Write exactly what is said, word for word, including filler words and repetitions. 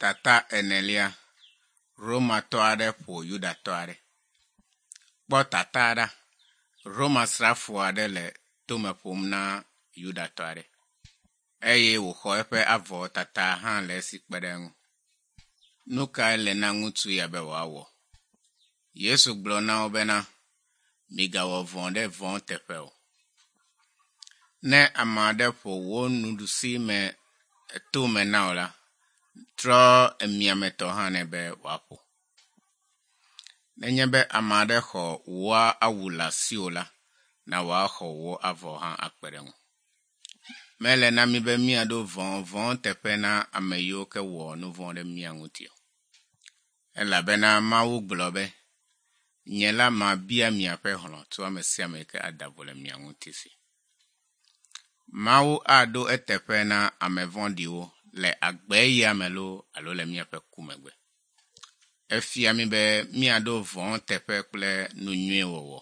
Tata enelia. Romatɔ aɖe ƒo Yudatɔ aɖe. Kpɔ tata ɖa. Roma srafo aɖe le tome ƒom na Yudatɔ aɖe eye wòxɔ eƒe avɔ tata hã le esi kpe ɖe eŋu. Nu kae le na ŋutsu ya be wòawɔ? Yesu gblɔ na wo bena, migawɔ vɔ̃ ɖe vɔ̃ teƒe o. Ne ame aɖe ƒo wò nuɖusi me to me na wò la, trɔ emiametɔ hã nɛ be wòaƒo. Nenye be ame aɖe xɔ wò awu le asiwò la, na wòaxɔ wò avɔ hã akpe ɖe eŋu. Mele na mí be míaɖo vɔ̃ vɔ̃ teƒe na ame yiwo ke wɔ nu vɔ̃ ɖe mía ŋuti o. Elabena Mawu gblɔ be, nye la mabia miaƒe hlɔ̃ tso ame sia ame yi ke ada vo le mia ŋuti si. Mawu aɖo eteƒe na ame vɔ̃ɖiwo le agbe ya me loo alo le míaƒe ku megbe. Efia mí be míaɖo vɔ̃ teƒe kple nu nyui wɔwɔ.